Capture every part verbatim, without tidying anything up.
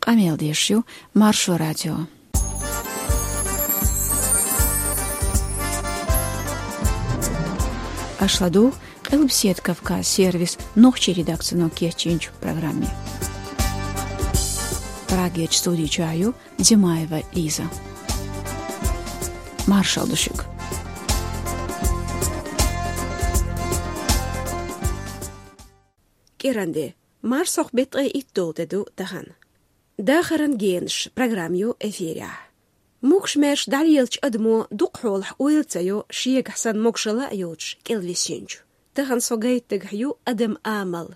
Къамел деш ю Маршо радио. Аша ладугӀу Къилбаседа Кавказ сервисан нохчийн редакцино кечйинчу программе. Прагерчу студи чохь ю Димаева Лиза. Маршалла ду шуьга. КӀиранде, марсхьокху беттан ткъе итт долу де ду тахана. Дахаран генаш программа ю эфирехь. Могуш-маьрша дӀалелачу адамо дукха хьолахь ойла ца йо шегахь санна могушалла а йоцуш кӀелвисинчу. Тахана со гайта дагахь ю адам амал.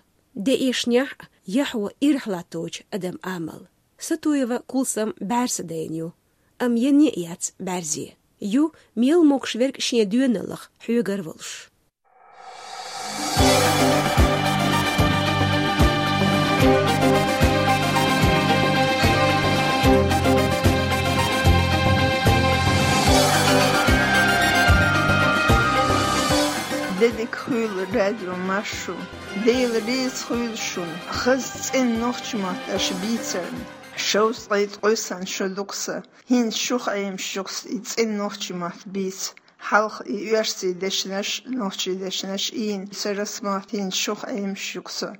Де эшнехь а, яхьо ирахь латточу адам амал. Сатуева Кулсам бӀаьрса дайна ю, амма енна а яц бӀаьрзе. Ю мел могуш верг шен доьналлах хьоьгара волуш. Де дика хуьлда, радио Маршо. Дела реза хуьлда шуна, хаза цӀена нохчийн мотт аша бийцарна. Шовзткъе ткъе санна шо ду-кх сан. ХӀинца шух Ӏемаш ю-кх сан и цӀена нохчийн мотт бийца. Хьалха и оьрсийн дешнаш, нохчийн дешнаш ийна, сан расмотт хӀинца шух Ӏемаш ю-кх сан.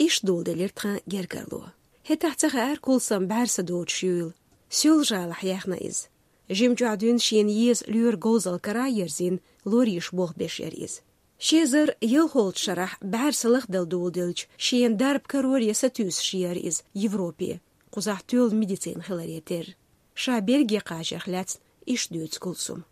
Иштта доладелира тхан гергарло. ХӀетахь ца хаьара Кулсам бӀаьрса доцуш юйла. Соьлжа-ГӀалахь яьхна иза. Жимчохь дуьйна шена еза лоьран говзалла кара а ерзийна, лор йиш болх беш яра иза. Ши эзар ялхолгӀачу шарахь бӀаьрса лахдала доладелча, шена дарба кароре сатуьйсуш яра иза Европе, кхузахь тоьлла медицина хиларе терра. Ша Бельге кхачарх лаьцна иштта дуьйцу Кулсума.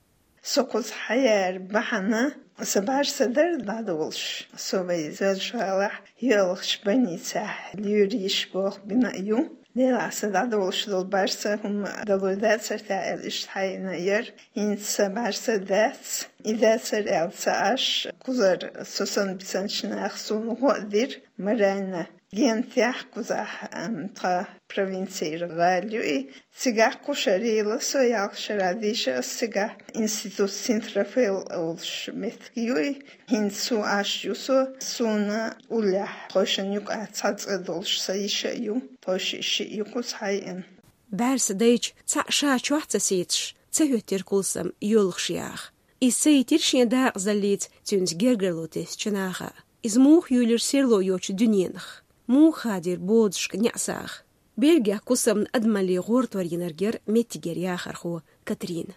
Со кхуза хьаяра бахьана, сан бӀаьрса дара дӀадолуш. Со вайн Соьлжа-ГӀалахь йоьалгӀачу больницехь лоьран йиш болх бина а ю. Делахь, сан дӀадолуш долу бӀаьрса хӀума дало дацара те аьлла, иштта хьайина яра. ХӀинца сан бӀаьрса дац. И дацара аьлла ца Ӏаш, кхузара со санна бисинчу наха суна гӀо а дира, Марайна. Гентехь кхузахь, ам, тхан провинцера гӀала ю и. Цигахь кху шарийла со, ялх шарахь дийша ас цигахь, институт Синт-Рафаэл олуш меттиг ю и. ХӀинца цу Ӏаш ю со, суна уллехь тхойшинна юкъахь цхьа цӀа долуш сан йиша а ю, тхойшиъ шиъ ю кхуза хьайина. БӀаьрса дайча, цхьаъ ша чохь а ца сецаш, ца хӀоьттира Кулсам йоьлхуш яха. Иза ца йитира шен дакъазаллица цуьнца гергарло тесначу наха. Иза муха юьйлира серло йоцучу дуьненах? Муха хадийра бодашка неӀсагӀа? Бельгехь Кулсамна адамаллин гӀортор йинарг яра меттигера яхархо Катрина.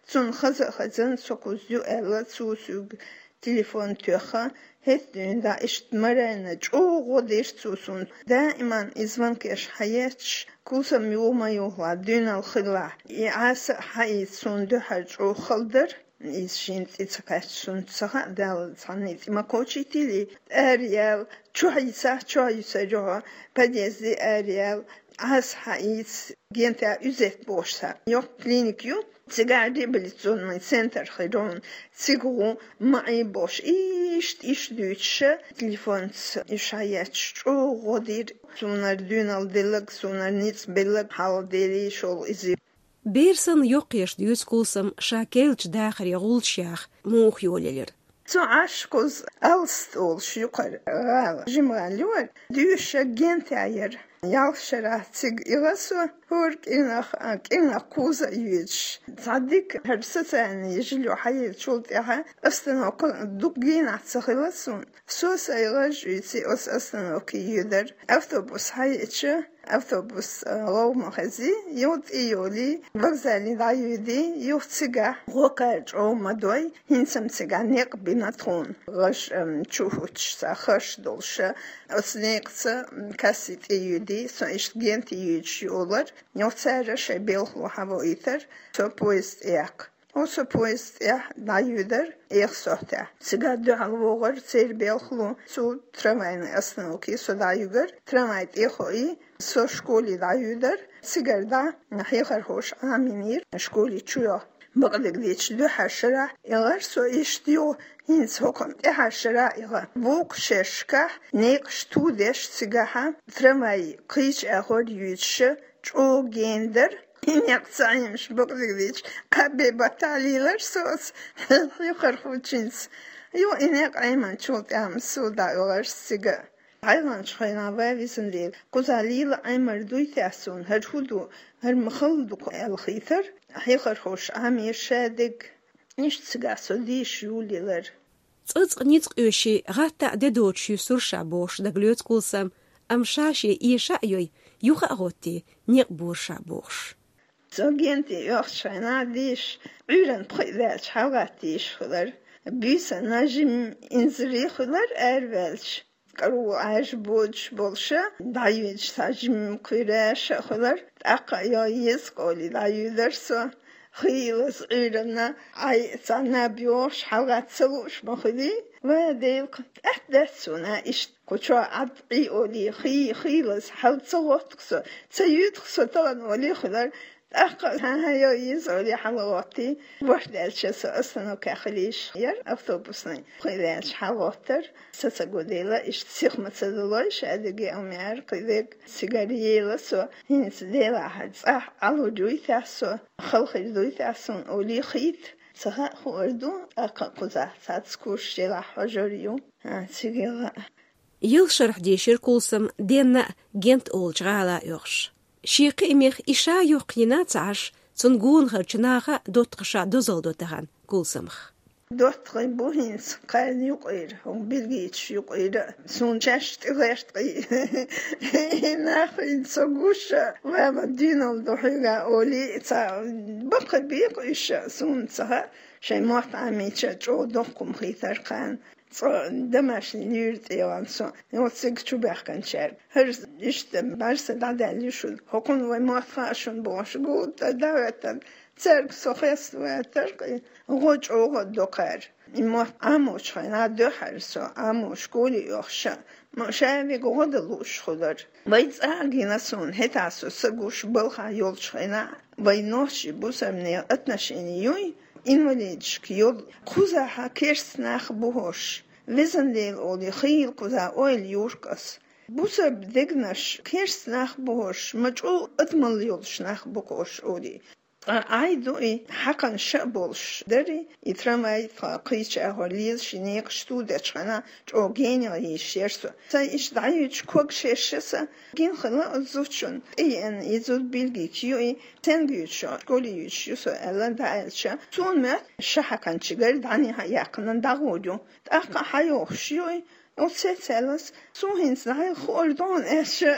Цунна хаза а хезна, со кхуза ю аьлла, цо соьга телефон тоьхна, хӀетта дуьйна дӀа иштта Марайна чӀогӀа гӀо дира цо суна. Даиман и звонкеш хьаетташ, Кулсам юха ма юхалахь, дуьйналла хилалахь, и Ӏаса а хьаийца суна дуьхьал чӀогӀа хала дара. Иза шена тӀе ца кхаьчча, суна ца хаьа, Дала цхьанна и тӀе ма кхочийтийла, араел, чохь йисахь, чохь йисар ю хьо, подъезде араел, Ӏаса хьаийца, гентехь Узет бохуш цхьа йоккха клиника ю, цигахь реабилитационный центр хир ю хьуна, цига гӀо, ма Ӏе бохуш, иштта, иштта дуьйцуша, телефонца уьш хьаетташ чӀогӀа гӀо дира, сунара дуьйналла делларг, сунара ницкъ белларг, хьалха Деле шолгӀа иза. Бер санна йоккхаеш дуьйцу Кулсама ша керлачу дахаре гӀулчаш яха муха йолаелира. Цу Ӏаш кхуза Алста олуш юкъара гӀала, жима гӀала ю хӀара, доьшуш гентехь яра. Ялх шарахь цига ила со, хӀора кӀирнах, а, кӀирнах кхуза а йоьдуш. Цхьа дика хӀара социальный жильё хьаеллачул тӀаьхьа остановка дукха генахь ца хилла суна. Со сайн гӀаж уьйций оцу остановке йоьдар. Автобус хьаеъча, автобус, а, гӀовгӀа ма хези, юха тӀе йолий, вокзале дӀайоьдий, юха цигахь гӀо-кхаьра чӀогӀа ма дой, хӀинца-м цигахь некъ бина тхуна. ГӀаж, ам, чу а хӀуттуш, цхьа харш долуша, оцу некъаца, м, касси тӀе йоьдий, со иштта генте йоьдуш йолара, юха цара шайн белхало хьавоуьйтура, со поезд тӀеяккха. Оцу поезд тӀехь дӀайоьдар, эха сохьтехь. Цигахь дуьхьал вогӀура церан белхало, цу трамвайный остановке со дӀаюьгар, трамвай тӀе а хоий, со школе дӀайоьдар, цигара дӀа хьехархоша Ӏамийнера школе чу йо. Бакъдерг дийцича, дуьххьара шарахь эгӀар со иштта йо, хӀинца хӀокхунна тӀаьхьара шарахь эгӀа. Вукху шерашкахь некъаш ту деш цигахьа, трамвай кхечу агӀор йоьдуша, чӀогӀа гена дара. И некъ ца Ӏемаш, бакъдерг дийцича, кхаа бен баттахь лелара со оцу хьехархочуьнца. Юха и некъ Ӏеманчул тӀаьхьа-м со дӀаоьлхура цига. Хьайланчу хенахь вай висина лела, кхузахь лела Ӏемар дуй те суна, хӀара хӀун ду, хӀара ма хала ду аьлла хийтар, хьехархоша Ӏамийра шадерг. Иштта цигахь со дийша юллелар. Цкъа-цкъа ницкъ оьший, гӀаттахь де доцуш юьсур ша бохуш дагалоьцу Кулсам, амма ша-шен эша а йой, юха а гӀоттий, некъ бора ша бохуш. Со генте оьхучу хенахь дийша, Ӏуьйранна пхиъ ваьлча хьалагӀатта дийша хилар. Буьйсанна жимма инзаре хилар араваьлча. КӀару Ӏаьржа бодуш болуша, дӀаюьйцуш цхьа жимма кхуьйраш а хилар, тӀаккха а йо еза кӀоли дӀаюьйлар со. Хийлаза Ӏуьйранна, Ӏай цхьанна бохуш, хьалагӀатта ца лууш ма хуьлий, ва Дела, тӀаьхьа дац суна иштта. Кху чохь Ӏад Ӏий олий, хий, хийлаза, хьал ца гӀотту-кх со, ца юьйду-кх со тахана олий хилар, тӀаккха а, хӀан-хӀа, йо, еза олий хьалагӀоттий, бохь даьлча со остановкехь хилийша яра автобусный. Кхин ваьлча хьалагӀоттар, са ца го дела, иштта сиха ма ца далой, ша дерриге а ма яра, кхин дерг цигара ела со, хӀинца делахь цӀахь Ӏалур дуй те со, хала хир дуй те суна олий хийта. Ца хаьа, хуур ду, тӀаккха а кхузахь цхьацца курсаш делахь хьожур ю, а, цигара а. Ялх шарахь дийшира Кулсам денна а, Гент олучу гӀала а оьхуш. Шен кхиамех и ша йоккхийна а ца Ӏаш, цунна гонахарчу наха а доттагӀаша дозалла до тахана Кулсамах. ДоттагӀий бу хӀинца кхарна юкъара, хӀун билггачу юкъара а, суна шаьш тӀе гӀерта кхин. И нах хӀинца со гуш а, ва-ма дуьйналла ду хьоьга олий, ца баккхий бекъа уьш а, суна ца хаьа, шайн мотт Ӏамийча чӀогӀа доккха хӀума хийтар кхарна. Цкъа домашний луьйра тӀе ван со, оцу цига чу баьхкинчаьрга. ХӀара иштта бӀаьрса дӀадаьлла ю шуна. ХӀокхунна вай мотт хаьа шуна бохуш, гуттар а дӀахӀоьттина. Цаьрга со хеставаьттар-кх, гӀо чӀогӀа а до кхара. И мотт Ӏамочу хенахь дуьххьара со, Ӏамочу школе оьхуш а, ма ша вига гӀо дан лууш хилар. Вай цӀа а гина суна, хӀетахь со са гуш балхахь йолчу хенахь, вай нохчий бусарнехан отношени юй, инвалидашка йолу, кхузахь керста нах бу хӀорш. Везан Дела олий, хийла кхузахь ойла юркъ ас. Бусарба дегнаш керста нах бу хӀорш, ма чӀогӀа адамалла йолуш нах бу хӀорш олий. Ткъа Ӏай ду и, хьакхана ша а болуш дара и, и трамвай тхан кхечу агӀор лелаш, и некъаш ту дечу хенахь, чӀогӀа генал йийшира со. Сайн иштта дӀаюьйцуш ког шерша сан гина хилла оцу зудчунна. ТӀееана и зуда билггал ю и, стенга юьйцуш, школе юьйцуш ю со аьлла дӀааьлча, суна моьтту ша хьакханчу гара дӀанехьа яьккхина дӀагӀур ю. ТӀаккха хьайохуш ю и, оцу сецаллас, суна хӀинца дӀайо хуур ду хьуна аьлча,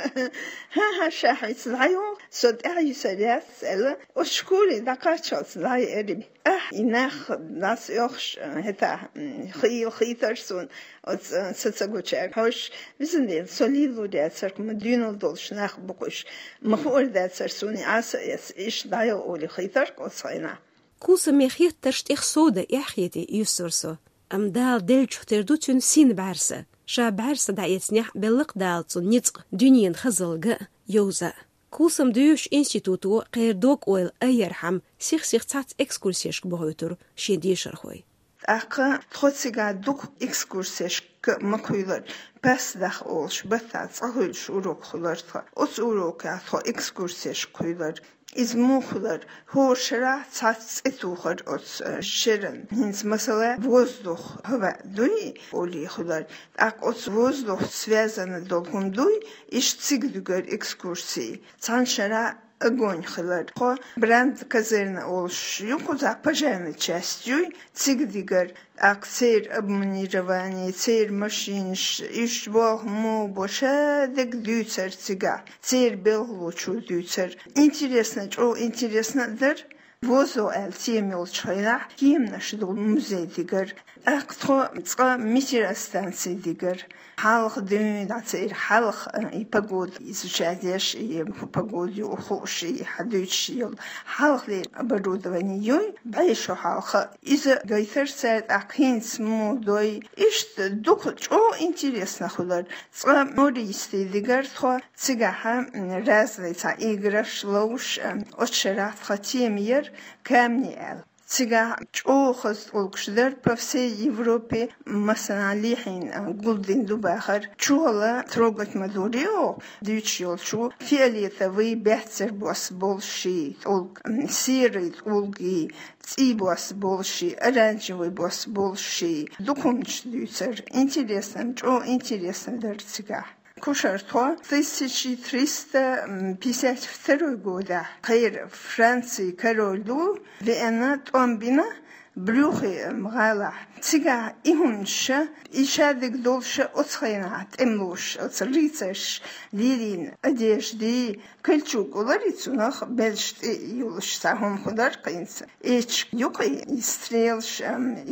хӀан-хӀа, ша хӀинца дӀайо, со тӀаьхьайисар яц аьлла, оцу школе дӀакхаччалц дӀаеара и. Ахь, и нах дӀасаоьхуш, хӀетахь, м, хийла хийтар суна, оцу, э, са ца гучаьрга. Хьоьш, везан Дела, со лело дацара-кх, ма дуьйналла долуш нах бу-кх уьш, ма хуур дацара суна и Ӏаса а эца, иштта дӀайо олий хийтар-кх оцу хенахь. Кулсаме хеттарш тӀех сов дан эхь хетий, юьсура со. Амма Дала деллачух тера ду цуьнан син бӀаьрса. Ша бӀаьрса дӀаэцнехь а белла-кх Дала цунна ницкъ, дуьненан хазалла ган а, йовза а. Кулсам доьшучу институто кхеран дог-ойла айъярхьама, сих-сиха цхьацца экскурсешка бохуьйтура шен дешархой. ТӀаккха тхо цигахь дукха экскурсешка ма кхуьйлура, пасдах олуш, баттахь цкъа хуьлуш урок хуьлура тхан. Оцу урокехь тхо экскурсешка кхуьйлура. Иза муха хилар? ХӀора шарахь цхьацца цӀе тухар оцу, э, шеран. ХӀинца, масала, воздух, хӀава дуй, олий хилар. ТӀаккха оцу воздухца связана долу хӀума дуй, иштта цига дуьгар экскурсии. Цхьана шарахь огонь хилар. Тхо брандказерна олуш ю кхузахь, пожарная часть юй, цига дигар. ТӀаккха церан обмундирование, церан машинаш, уьш болх муха бу, ша дерг дуьйцар цигахь, церан белхалочо дуьйцар. Интересно, чӀогӀа интересно а дара. Возо аьлла тема йолчу хенахь, кеманаш долу музей дигар. ТӀаккха тхо цкъа метеостанци дигар. Хьалха дуьйна дӀа церан хьалха, э, и погода изучать еш, и погода юур хууш, и хьан дуьйцуш йолу хьалхалера оборудование юй, бӀе шо хьалха. Иза гайтар цара тӀаккха хӀинца муха дой. Иштта дукха чӀогӀа интересно хилар. Цкъа мористи дигар тхо цигахьа, м, разный цхьа играш ловш, э, оцу шарахь тхан тема яра камни аьлла. Цигахь чӀогӀа хаза тӀулгаш дара по всей Европе, массанхьа лехьийна гулдина ду бахар. Чухула трогать ма дора оха, дуьйцуш йолчо фиолетовый, баьццара бос болуш ши тӀулг, серый тӀулг и, цӀий бос болуш ши, оранжевый бос болуш ши. Дукха хӀуманаш дуьйцура, интересно, чӀогӀа интересно дара цигахь. Кушартхо тысяча триста пятьдесят второй годахь кхеран Францин король ду веана, тӀом бина Брюгге гӀалахь. Цигахь и хӀуманаш, и шадерг долуш оцу хенахь тӀемалоша, оцу рыцарша лелийна одежда, кольчуга олура цунах, белш тӀе йолуш цхьа хӀума хуьлура кхин цу. Эчиг юкъа и стрелаш,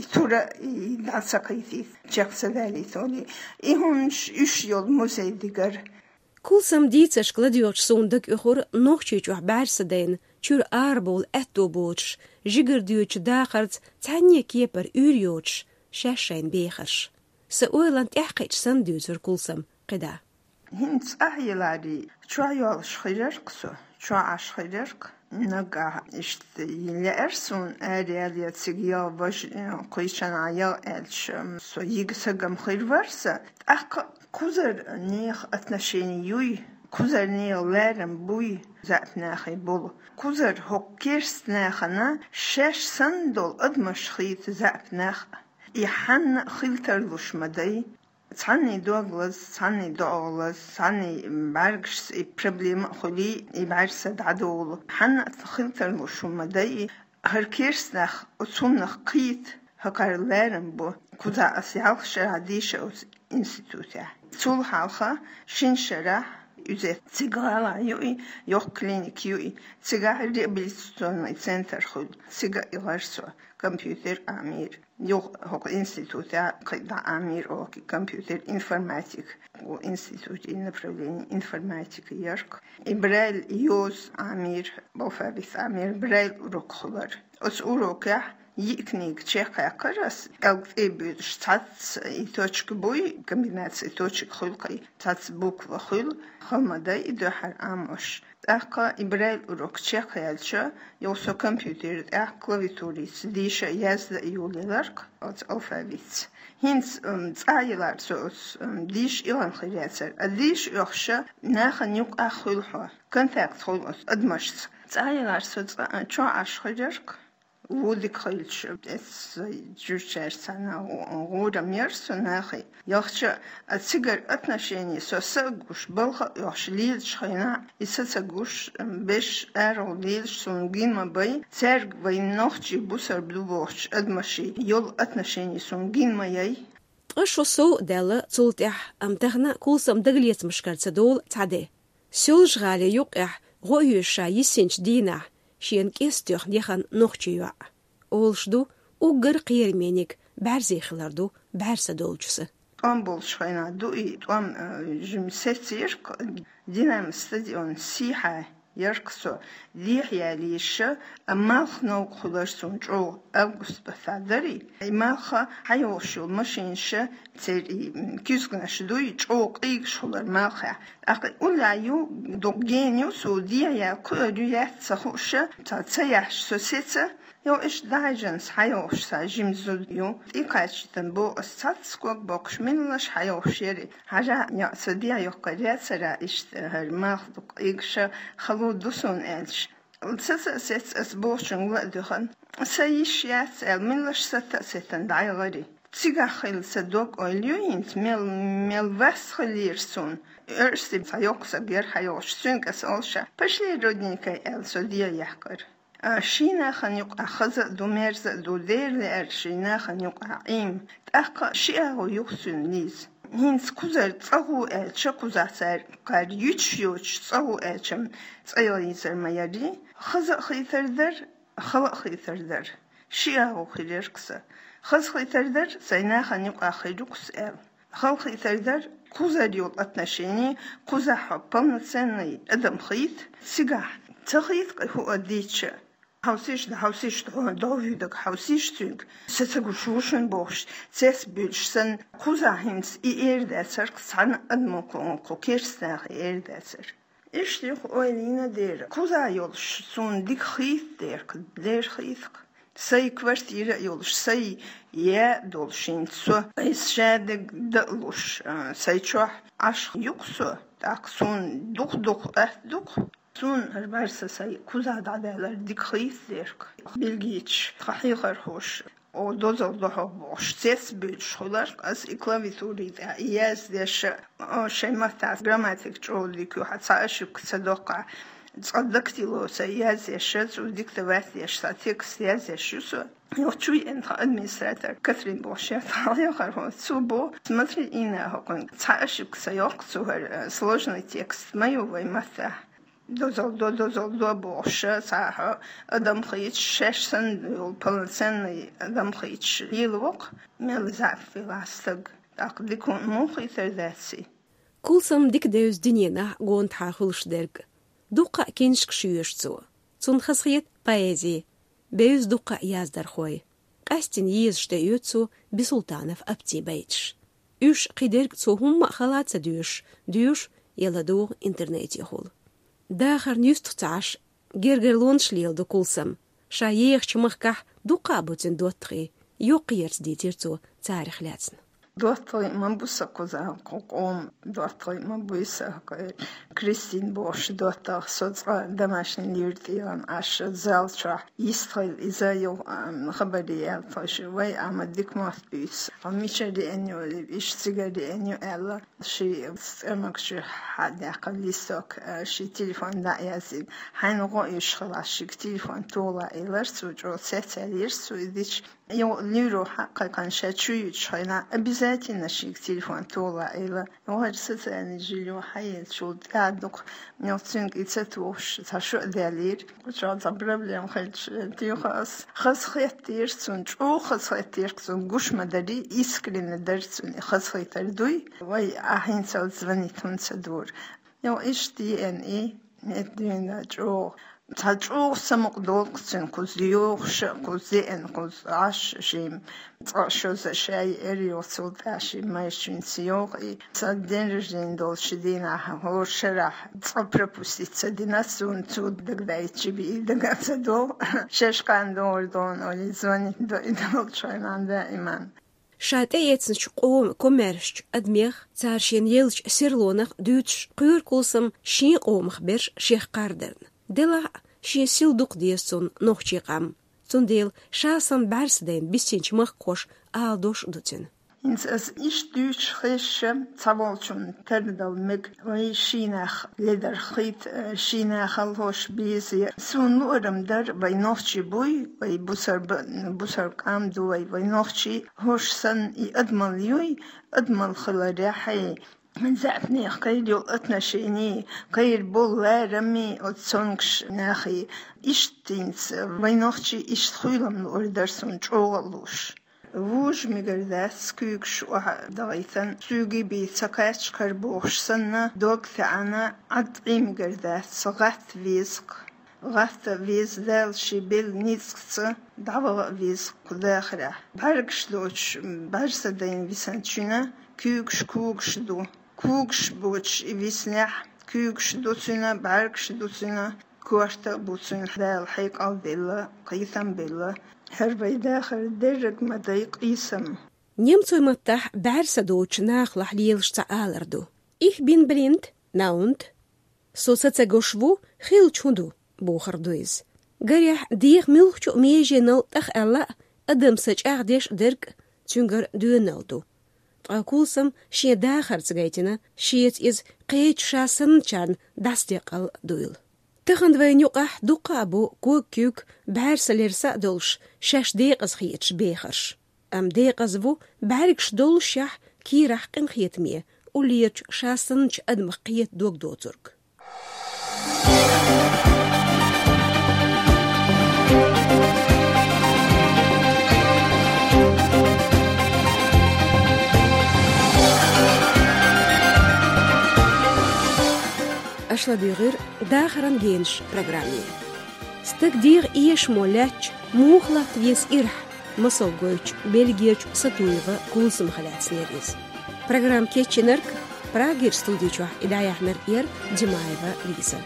и тура, и дӀа ца кхийтийта, чекх ца далийта олий. И хӀуманаш, уьш йолу музей дигара. Кулсаман дийцаршка ладоьгӀча суна дага оьхура Нохчийчохь бӀаьрса дайна, чуьра арабовла аьтто боцуш, жигара доьдучу дахарца цхьаьнне кепара уьйр йоцуш, шаьш шайна бехарш. Сан ойланна тӀаьхьакхиъча санна дуьйцура Кулсама кхидӀа. ХӀинца ахь еларий, чохь йолуш хир яра-кх со, чохь Ӏаш хир яра-кх. Нагахь иштта лаьара суна араяла я цига яла, важа, э, кхечанхьа яла аьлча, со йига сагам хир вара сан. ТӀаккха кхузара нехан отношени юй, кхузара нехан ларам буй заьӀап нахе болу. Кхузара хӀокху керста нахана шаьш санна долу адамаш хийта заьӀап нах. И хьанна а хила тарлуш ма дай. Цхьанний дог лаза, цхьанний доӀа лаза, цхьанний бӀаьргашца и проблема а хуьлий, и бӀаьрса дӀадолу. Хьанна а хила тарлуш хӀума дай, хӀара керста нах оцу хӀуманах кхийта, хӀокхара ларам бо. Кхузахь аса ялх шарахь дийша оцу институтехь. Цул хьалха шина шарахь иза цига гӀалахь ю и, йоккха клиника ю и, цигахь реабилитационный центр хуьлу, цига а гӀар со, компьютер Ӏамийра. Юха хӀокху институтехь кхин дӀа Ӏамийра оха компьютер информатика. Ву институтийн направление информатика яра-кх. И Брайль йоза Ӏамийра, алфавит Ӏамийра, Брайль урок хуьлура. Оцу урокехь йиъ книга чекхъяьккхира ас, кӀелга тӀе а буьйлуш, цхьацца и точка буй, комбинация точек хуьлу-кх и, цхьацца буква хуьлу, хала ма дай и дуьххьара Ӏамош. ТӀаккха и Брайль урок чекхъяьлча, юха со компьютер тӀехь клавиатурица дийша, язда а йолаелира-кх оцу алфавитца. ХӀинца, м, цӀа а елара со оцу, м, дийша, илгӀана хир яцара. А дийша оьхуш нахана юкъахь хуьлу хьо, контакт хуьлу оцу адамашца. ЦӀа а елара со, цӀа, чохь Ӏаш хир яра-кх. Ву дика хилча, эццу жуьгтичаьрца цхьаьна гӀу-, гӀурам яра со нахе. Яхча, а цигара отношение со са а гуш, балха а оьхуш лелачу хенахь, и са ца гуш, берш арагӀа лелаш суна гина ма бай, цаьрга вайн нохчий бусалба ду бохучу адамаший йолу отношение суна гина ма яй. Ткъа шо сов а даьлла цул тӀаьхьа, амма тахана Кулсама дагалецамашкара ца долу цхьа де. Соьлжа-ГӀалин юккъехь гӀо оьшу ша йиссинчу дийнахь, шена кӀеста тоьхна яхана нохчи йоӀ. Олуш ду, уггар кхерамийниг бӀаьрзе хилар ду бӀаьрса долчу сан. ТӀом болуш хенахь ду и, тӀом, э, жимма сецира-кх, Динамо стадион сехьа яра-кх со, дехьа ялийша, а малх новкъа хуьлура суна чӀогӀа, август баттахь дара и. И малх хьайогӀуш йолу машинаш, церан и, м, куьзганаш дуй, чӀогӀа къийгаш хуьлура малхехь. ТӀаккха уллехь ю, дукха гена ю, со дехьа яла кхуьур ю, яц ца хууш, цхьа ца яхьаш со сеца, йо, иштта дӀахьаьжна хьайогӀуш сан жима зуда ю. ТӀекхачийтина боху ас цхьацца ког боккхуш, меллаша хьайогӀуш яра и. Хьажахь, йо, сан дехьа йоккхур яцара иштта хӀара малх дукха къийгаш, хало ду суна аьлча. Ца, ца а сеца, ас бохучуьнга ла а дуьхна. Сан йиш яц аьлла, меллаша сатта а сеттина дӀаяхара и. Цигахь хилла сан дог-ойла ю хӀинца, мел, мел вас хиллера суна. Оьрсийн цхьа йоккха саг яра хьайогӀуш, цуьнга ас олуш, пошли, родненькая, аьлла, со дехьа яьккхира. А, шен нахана юкъахь хаза а ду, мерза а ду, дера лаьара шен нахана юкъахь Ӏийна. ТӀаккха ши агӀо ю-кх цуьнан, Лиза. ХӀинца кхузара цӀа гӀо аьлча, кхузахь цара кхара юьтуш йоцуш цӀа гӀо аьлча, цӀа йийцар ма яра и. Хаза а хийтар дара, хала а хийтар дара. Ши агӀо хир яра-кх сан. Хаза хийтар дара, сайн нахана юкъахь хир ю-кх со аьлла. Хала хийтар дара, кхузара йолу отношение, кхузахь хьо полноценный адам хийта, цигахь ца хийта-кх и хӀуъа дийцча. Хьовсийша, хьовсийша, хьо дов вуьйдаг, хьовсийша цуьнга. Сан ца гуш ву шуна бохуш, цец буьйлуш санна, кхузахь хӀинца и эр дацара-кх цхьана адамо, кху, кху керстанаха эр дацара. Иштта юха ойла йина дера, кхузахь йолуш суна дика хийта дера-кх, дера хийта-кх. Сай квартира а йолуш, сай я долуш хӀинца со, айса шадерг дан а луш, а, сай чохь Ӏаш ю-кх со, тӀаккха суна дукха-дукха атта ду-кх. Суна хӀара бӀаьрса сай куза дӀадаьлларг дика хийцадерг. Бельгийчу тхан хьехархоша, о, дозалла до хьо бохуш, цец а буьйлуш хуьлура-кх ас и клавиатурин тӀехь, и яздеш, о, шайн маттахь грамматика чӀогӀа дика ю, хьан цхьа ошибка ца доккху. Цкъа дактило сай язъеш, цо диктовать деш, цхьа текст язъеш ю со. Йо, чу еана тхан администратор Катрин бохуш яра тхан хьехархо. Цо боху: «Смотри, Инна, хӀокхуьнга цхьа ошибка ца йоккху цо, хӀара, э, сложный текст ма ю вайн маттахь. Дозалла до, дозалла до бохуш, цхьа хьо адам хийцаш, шаьш санна йолу полноценный адам хийцаш лела вокху, мел заьӀап велахь стаг, тӀаккха дика хӀума муха хийтар дац и?» Кулсам дика девза дуьненахь гонаха хуьлуш дерг. Дуккха а книшкаш йоьшу цо. Цунна хазахета поэзи. Бевза дуккха а яздархой. Къаьсттина езаш тӀеоьцу цо Бисултанов Аптин байташ. Уьш кхидерг цо хӀумма а хала ца доьшуш, доьшу я ладугӀу интернетехула. Дахарна юьстах ца Ӏаш, гергарлонаш леладо Кулсам. Ша ехачу махкахь дуккха а бу цуьнан доттагӀий, йоккхаерца дийцира цо царах лаьцна. ДоттагӀий ма бу сан кхузахь, кху къоман доттагӀий ма буй сан, кху Кристин бохуш доттагӀа, со цкъа домашний лийра тӀера Ӏаш, зал чохь йистхила иза йо, ам, хабаре яьлла тхойша, вай, Ӏама дика мотт буьйцу. Хьо мичара еана ю, иштта цигара еана ю аьлла, ши цӀермагчуьра хьадаьккхина листок, а, ши телефон дӀа а яздина. Хьайна гӀо оьшуш хилахь, шига телефон тоха элира цо, чӀогӀа цецъяьллера цо и дича. Йо, луьйро хьа а кхайкхина, ша чу юьтуш хенахь, обязательно шига телефон тоха элира. Йо, хӀара социальный жильё хьаеллачул тӀаьхьа дукха, йо, цуьнга и ца тухуш, цхьа шо а даьллера. Кху чохь цхьа проблема хилча, туьйхира ас. Хазахеттера цунна, чӀогӀа хазахеттера цунна, гуш ма дарий, искренне дара цунна и хазахетар дуй. Вай, ахь хӀинцалц звонить хӀунда ца дора? Йо, иштта еана и, метта дуьйна чӀогӀа. Цхьа чӀогӀа самукъадолу-кх цуьнан кхуза йохуш а, кхуза еана, кхуза Ӏаш а шимма. Цкъа шозза ша еара, йо, цул тӀаьхьа шимма майрачуьнца йогӀу и. Сан день рождения долчу дийнахь, хӀора шарахь цкъа пропустить ца дина, суна цо дагадайтича бен и дага ца догӀу. Шаьш кхана догӀур ду хьуна олий, звонить до и долчу хенахь даиман. Ша тӀеэцначу къоман комаьршачу адамех, цара шена еллачу серлонах дуьйцуш, кхоьру Кулсам шен къомах берш шех кхардарна. Делахь а, шен сил дукха деза цунна нохчийн къам. Цундела ша санна бӀаьрса дайна биссинчу махкахоша ала дош а ду цуьнан. ХӀинца ас иштта дуьйцуш хезча, цхьаволчунна тардала мега, вай шийнах ледар хийта, шийнах лош беза. Суна луург дара, вай нохчий буй, вай бусар-, бусар къам ду вай, вай нохчий, хӀорш санна и адамалла юй, адамалла хиларехь, хьайн заьӀапнех кхайра йолу отношение, кхайра болу лараме оцу цомгуш нахе. Иштта хӀинца вай нохчий иштта хуьйлам луург дара суна чӀогӀа а лууш. Вужа мегар дац, куьйгаш охьа а дахийтина, суьйгий бий ца кхаьчча кара бохуш санна, дог таьӀна, Ӏад къий мегар дац, гӀатта веза-кх. ГӀатта веза, Дала шен белла ницкъаца дӀаваха а веза-кх кху дахарехь. БӀаьргаш доцуш, бӀаьрса дайна висинчуьнан куьйгаш когаш ду. Когаш боцуш и виснехь, куьйгаш ду цуьнан, бӀаьргаш ду цуьнан, корта а бу цуьнан, Дала хьекъал а делла, кхетам а белла. ХӀара вай дахар дерриг ма дай къийсам. Немцойн маттахь бӀаьрса доцучу нахалахь лелаш цхьа алар ду: «Ich bin blind, na und?» Со са ца гуш ву, хилча хӀун ду, бохург ду иза. Гарехь, деха муьлххачу а меженал тӀахъаьлла а, адам са чӀагӀдеш а дерг цуьнгара доьналла ду. Ткъа Кулсам шен дахарца гайтина, шеца иза кхечу ша санначарна дӀасадекъал дуйла. Тахана вайна юкъахь дуккха а бу ког-куьг, бӀаьрса-лерса а долуш, шаьш декъаза хеташ бехарш. Амма декъаза ву, бӀаьргаш доллушехь, кийрахь къинхетаме, уллерачу ша санначу адамах кхета дог доцург. Аша ладуьйгӀира «Дахаран генаш» программе. Стаг дегӀан эшамо лаьттача муха латта веза ирахь, масал гойтучу Бельгерчу Сатуева Кулсамах лаьцнера иза. Программа кечйинарг, Прагера студи чохь и дӀаяьхьнарг яра Димаева Лиза.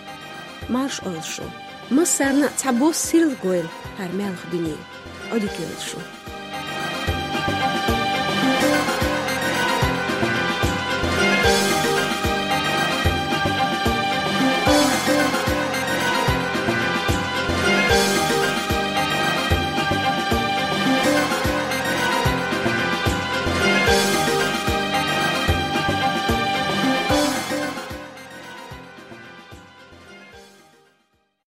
Марша Ӏойла шу. Массарна а цхьабосса сирла гойла хӀара маьлха дуьне. Одӥг ёлшур.